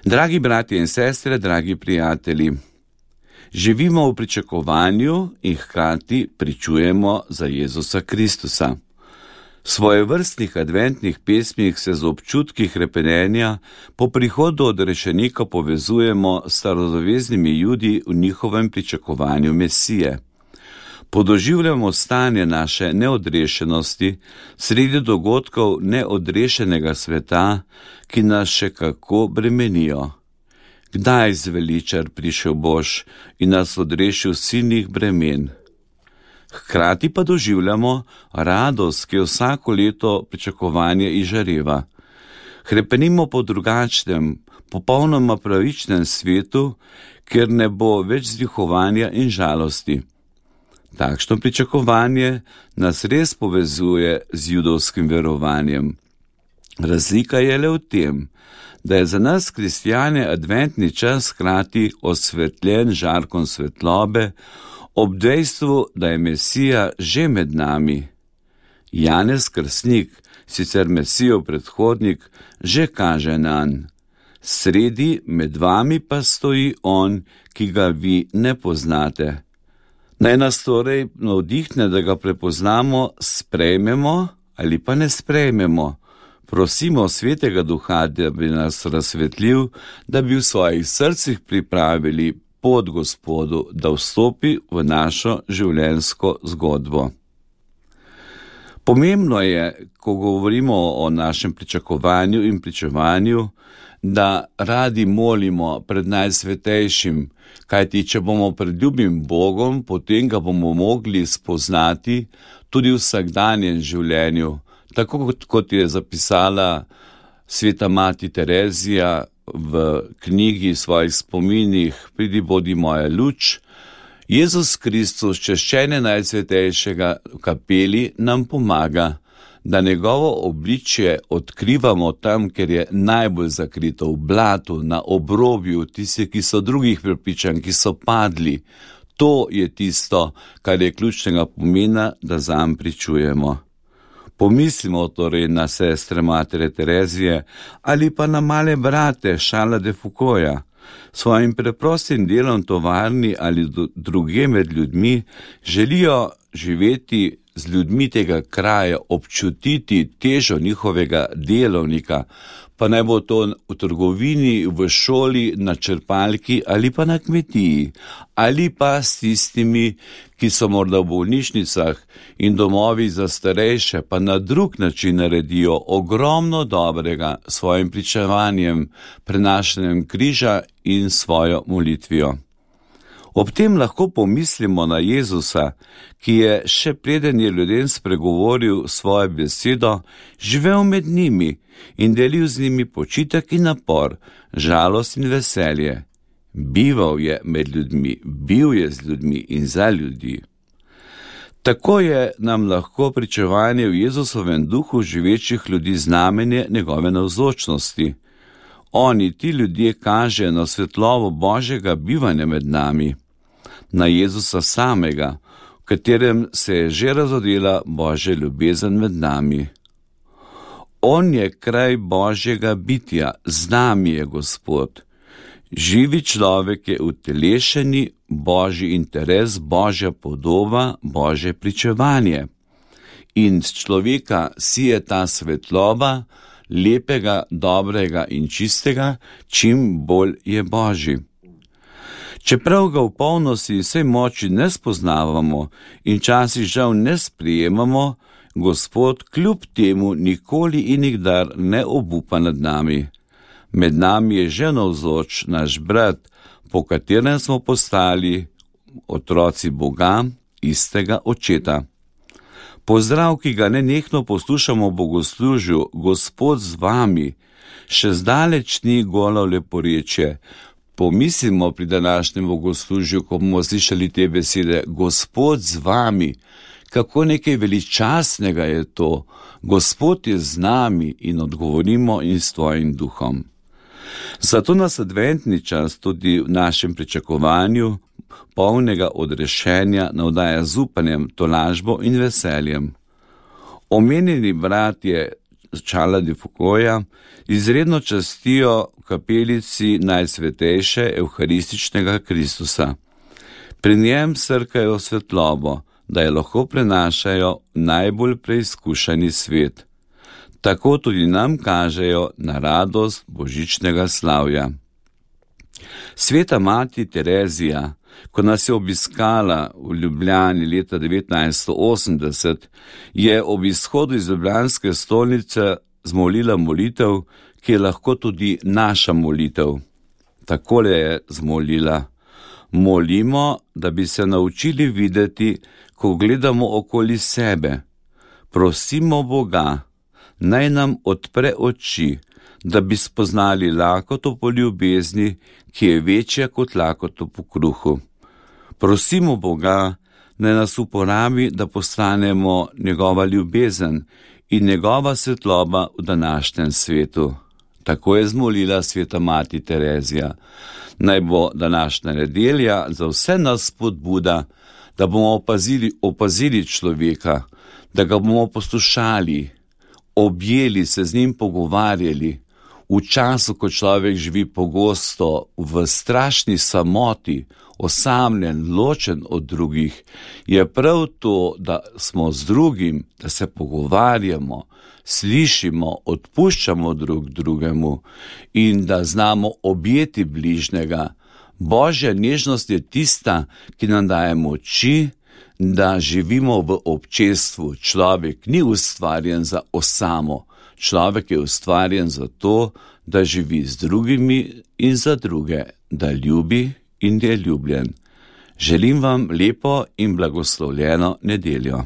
Dragi bratje in sestre, dragi prijatelji, živimo v pričakovanju in hkrati pričujemo za Jezusa Kristusa. V svojevrstnih adventnih pesmih se z občutki hrepenenja po prihodu odrešenika povezujemo s starozaveznimi Judi v njihovem pričakovanju Mesije. Podoživljamo stanje naše neodrešenosti sredi dogodkov neodrešenega sveta, ki nas še kako bremenijo. Kdaj zveličar prišel boš in nas odrešil silnih bremen? Hkrati pa doživljamo radost, ki je vsako leto pričakovanje izžareva. Hrepenimo po drugačnem, popolnoma pravičnem svetu, kjer ne bo več vzdihovanja in žalosti. Takšno pričakovanje nas res povezuje z judovskim verovanjem. Razlika je le v tem, da je za nas kristjane adventni čas hkrati osvetljen žarkom svetlobe, ob dejstvu, da je Mesija že med nami. Janez Krstnik, sicer Mesijev predhodnik, že kaže nanj. Sredi med vami pa stoji on, ki ga vi ne poznate. Naj nas torej navdihne, da ga prepoznamo, sprejmemo ali pa ne sprejmemo. Prosimo Svetega Duha, da bi nas razsvetlil, da bi v svojih srcih pripravili pot Gospodu, da vstopi v našo življenjsko zgodbo. Pomembno je, ko govorimo o našem pričakovanju in pričevanju, da radi molimo pred najsvetejšim, kajti če bomo pred ljubim Bogom, potem ga bomo mogli spoznati tudi v vsakdanjem življenju, tako kot je zapisala sveta mati Terezija v knjigi svojih spominih Pridi, bodi moja luč. Jezus Kristus, čaščenje najsvetejšega v kapeli, nam pomaga, da njegovo obličje odkrivamo tam, ker je najbolj zakrito, v blatu, na obrobju, tisti, ki so drugih prepričanj, ki so padli. To je tisto, kar je ključnega pomena, da zanj pričujemo. Pomislimo torej na sestre matere Terezije ali pa na male brate Charlesa de Foucaulta. Svojim preprostim delom tovarni ali drugje med ljudmi želijo živeti z ljudmi tega kraja, občutiti težo njihovega delovnika, pa naj bo to v trgovini, v šoli, na črpalki ali pa na kmetiji, ali pa s tistimi, ki so morda v bolnišnicah in domovi za starejše, pa na drug način naredijo ogromno dobrega s svojim pričevanjem, prenašanjem križa in svojo molitvijo. Ob tem lahko pomislimo na Jezusa, ki je še preden je ljudem spregovoril svojo besedo, živel med njimi in delil z njimi počitek in napor, žalost in veselje. Bival je med ljudmi, bil je z ljudmi in za ljudi. Tako je nam lahko pričevanje v Jezusovem duhu živečih ljudi znamenje njegove navzočnosti. Oni, ti ljudje, kažejo na svetlobo Božjega bivanja med nami, na Jezusa samega, v katerem se je že razodela Božja ljubezen med nami. On je kraj Božjega bitja, z nami je Gospod. Živi človek je utelešeni Božji interes, Božja podoba, Božje pričevanje. In z človeka sije ta svetloba, lepega, dobrega in čistega, čim bolj je Božji. Čeprav ga v polnosti vsej moči ne spoznavamo in časih žal ne sprejemamo, Gospod kljub temu nikoli in nikdar ne obupa nad nami. Med nami je že navzoč naš brat, po katerem smo postali otroci Boga, istega Očeta. Pozdrav, ki ga nenehno poslušamo v bogoslužju, Gospod z vami, še zdaleč ni golo leporečje. Pomislimo pri današnjem bogoslužju, ko bomo slišali te besede, Gospod z vami, kako nekaj veličastnega je to. Gospod je z nami in odgovorimo in s tvojim duhom. Zato nas adventni čas tudi v našem pričakovanju polnega odrešenja navdaja z upanjem, tolažbo in veseljem. Omenjeni bratje Charlesa de Foucaulta izredno častijo kapelici Najsvetejše Evharističnega Kristusa. Pri njem srkajo svetlobo, da jo lahko prenašajo najbolj preizkušeni svet. Tako tudi nam kažejo na radost božičnega slavja. Sveta mati Terezija, ko nas je obiskala v Ljubljani leta 1980, je ob izhodu iz ljubljanske stolnice zmolila molitev, ki je lahko tudi naša molitev. Takole je zmolila: molimo, da bi se naučili videti, ko gledamo okoli sebe. Prosimo Boga, naj nam odpre oči, da bi spoznali lakoto po ljubezni, ki je večja kot lakoto po kruhu. Prosimo Boga, naj nas uporabi, da postanemo njegova ljubezen in njegova svetloba v današnjem svetu. Tako je zmolila sveta mati Terezija. Naj bo današnja nedelja za vse nas spodbuda, da bomo opazili človeka, da ga bomo poslušali, objeli, se z njim pogovarjali. V času, ko človek živi pogosto v strašni samoti, osamljen, ločen od drugih, je prav to, da smo z drugim, da se pogovarjamo, slišimo, odpuščamo drug drugemu in da znamo objeti bližnjega. Božja nežnost je tista, ki nam daje moči, da živimo v občestvu. Človek ni ustvarjen za osamo. Človek je ustvarjen za to, da živi z drugimi in za druge, da ljubi in je ljubljen. Želim vam lepo in blagoslovljeno nedeljo.